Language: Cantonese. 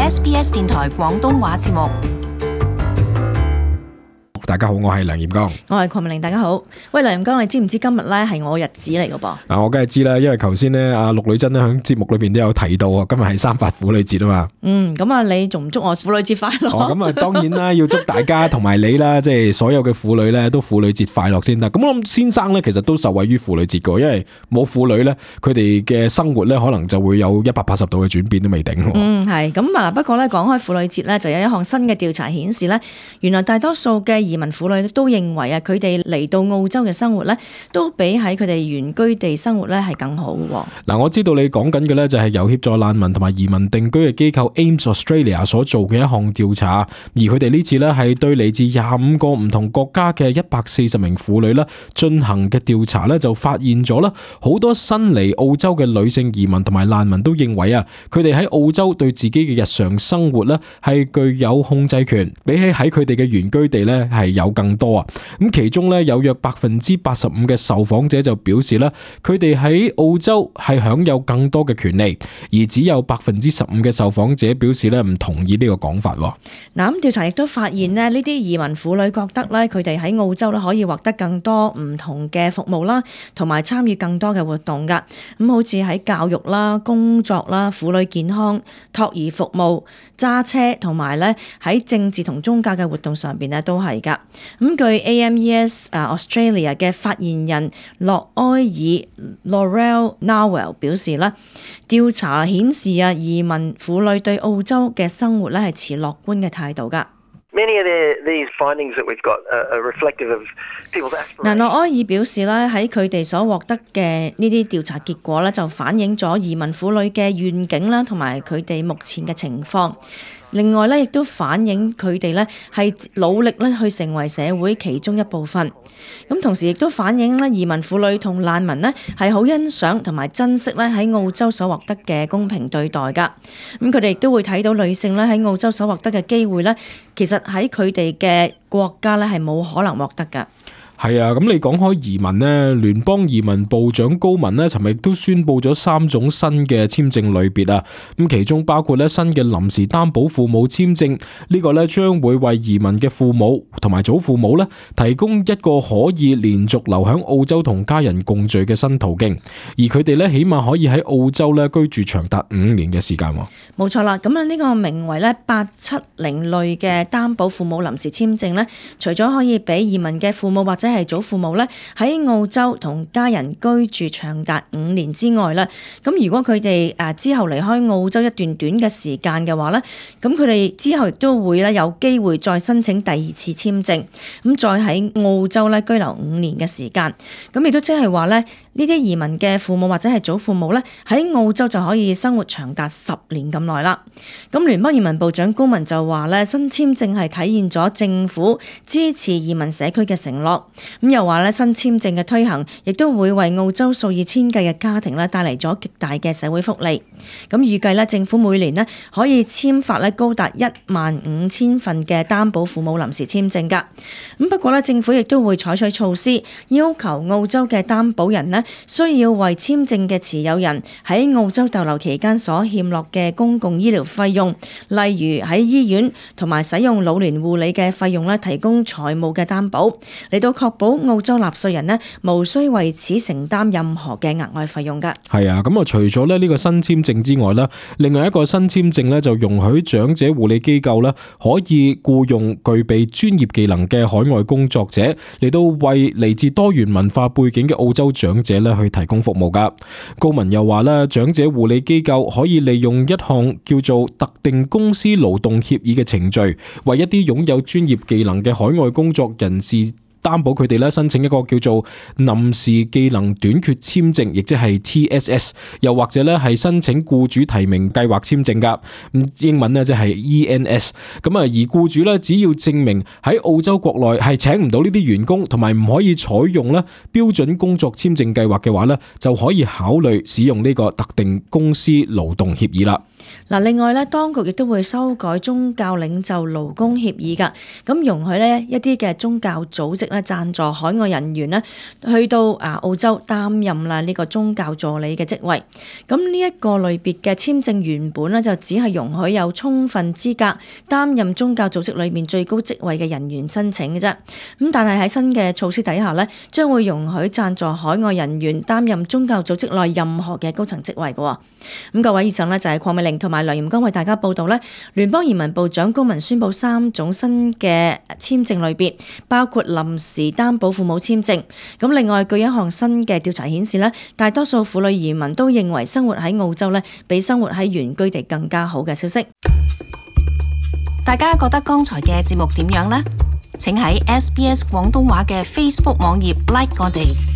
SBS 電台廣東話節目。大家好，我係梁炎剛，我係鄺明玲。大家好，喂，梁炎剛，你知唔知今日咧係我日子嚟㗎噃？嗱，我梗係知啦，因為頭先咧阿陸女珍咧喺節目裏邊都有提到啊，今日係3·8婦女節啊嘛。咁啊，你仲唔祝我婦女節快樂？咁啊，當然啦，要祝大家同埋你啦，即係所有嘅婦女咧都婦女節快樂先得。咁我諗先生咧，其實都受惠於婦女節㗎，因為冇婦女咧，佢哋嘅生活咧可能就會有180度嘅轉變都未定。係咁啊，不過咧講開婦女節咧，就有一項新嘅調查顯示咧，原來大多數嘅移民婦女都認為啊，佢哋嚟到澳洲嘅生活咧，都比喺佢哋原居地生活咧係更好嘅。嗱，我知道你講緊嘅咧就係由協助難民同埋移民定居嘅機構 AIMS Australia 所做嘅一項調查，而佢哋呢次咧係對嚟自25個唔同國家嘅140名婦女咧進行嘅調查咧，就發現咗啦，好多新嚟澳洲嘅女性移民同埋難民都認為啊，佢哋喺澳洲對自己嘅日常生活咧係具有控制權，比起喺佢哋嘅原居地咧係有更多啊！咁其中咧有約85%嘅受訪者就表示咧，佢哋喺澳洲係享有更多嘅權利，而只有15%嘅受訪者表示咧唔同意呢個講法。嗱，咁調查亦都發現咧，呢啲移民婦女覺得咧，佢哋喺澳洲咧可以獲得更多唔同嘅服務啦，同埋參與更多嘅活動噶。咁好似喺教育啦、工作啦、婦女健康、托兒服務、揸車同埋咧喺政治同宗教嘅活動上邊咧都係噶。咁據 AMES Australia 嘅發言人洛埃爾 Laurel Nawell 表示啦，調查顯示啊，移民婦女對澳洲嘅生活咧係持樂觀嘅態度噶。嗱，洛埃爾表示咧，喺佢哋所獲得嘅呢啲調查結果咧，就反映咗移民婦女嘅願景啦，同埋佢哋目前嘅情況。另外咧，亦都反映佢哋咧係努力咧去成為社會其中一部分。咁同時亦都反映咧，移民婦女同難民咧係好欣賞同埋珍惜咧喺澳洲所獲得嘅公平對待噶。咁佢哋亦都會睇到女性咧喺澳洲所獲得嘅機會咧，其實喺佢哋嘅國家咧係冇可能獲得噶。係啊，咁你講開移民呢，聯邦移民部長高文呢，尋日都宣布咗3種新嘅簽證類別啊。咁其中包括咧新嘅臨時擔保父母簽證，呢個咧將會為移民嘅父母同埋祖父母咧提供一個可以連續留喺澳洲同家人共聚嘅新途徑，而佢哋咧起碼可以喺澳洲咧居住長達5年嘅時間。冇錯啦，咁啊呢個名為咧870類嘅擔保父母臨時簽證咧，除咗可以俾移民嘅父母或者係祖父母咧喺澳洲同家人居住長達5年之外咧，咁如果佢哋之後離開澳洲一段短嘅時間嘅話咧，咁佢哋之後亦都會咧有機會再申請第2次簽證，咁再喺澳洲咧居留5年嘅時間，咁亦都即係話咧呢啲移民嘅父母或者係祖父母咧喺澳洲就可以生活長達10年咁耐啦。咁聯邦移民部長高文就話咧，新簽證係體現咗政府支持移民社區嘅承諾。咁又話咧，新簽證嘅推行亦都會為澳洲數以千計嘅家庭咧帶嚟咗極大嘅社會福利。咁預計咧，政府每年咧可以簽發咧高達15000份嘅擔保父母臨時簽證㗎。咁不過咧，政府亦都會採取措施，要求澳洲嘅擔保人咧需要為簽證嘅持有人喺澳洲逗留期間所欠落嘅公共醫療費用，例如喺醫院同埋使用老年護理嘅費用咧，提供財務嘅擔保，嚟到確保澳洲納稅人呢無需為此承擔任何嘅額外費用㗎。係啊，咁啊除咗呢個新簽證之外咧，另外一個新簽證咧就容許長者護理機構咧可以僱用具備專業技能嘅海外工作者嚟到為嚟自多元文化背景嘅澳洲長者咧去提供服務㗎。高文又話咧，長者護理機構可以利用一項叫做特定公司勞動協議嘅程序，為一啲擁有專業技能嘅海外工作人士擔保佢哋咧申請一個叫做臨時技能短缺簽證，亦即係 TSS， 又或者咧係申請僱主提名計劃簽證噶。英文咧即係 ENS。咁啊，而僱主咧只要證明喺澳洲國內係請唔到呢啲員工，同埋唔可以採用咧標準工作簽證計劃嘅話咧，就可以考慮使用呢個特定公司勞動協議啦。嗱，另外咧，當局亦都會修改宗教領袖勞工協議㗎，咁容許呢一啲嘅宗教組織咧贊助海外人員呢去到澳洲擔任啦呢個宗教助理嘅職位。咁呢一個類別嘅簽證原本呢就只係容許有充分資格擔任宗教組織裏面最高職位嘅人員申請嘅啫。咁但係喺新嘅措施底下呢，將會容許贊助海外人員擔任宗教組織內任何嘅高層職位嘅。咁各位，以上呢就係鄺美玲同埋梁炎剛為大家報道呢，聯邦移民部長高文宣布3種新嘅簽證類別，包括臨時擔保父母簽證。咁另外，據一項新嘅調查顯示呢，大多數婦女移民都認為生活喺澳洲呢比生活喺原居地更加好嘅消息。大家覺得剛才嘅節目點樣呢？請喺SBS 廣東話嘅 Facebook 網頁 like 我哋。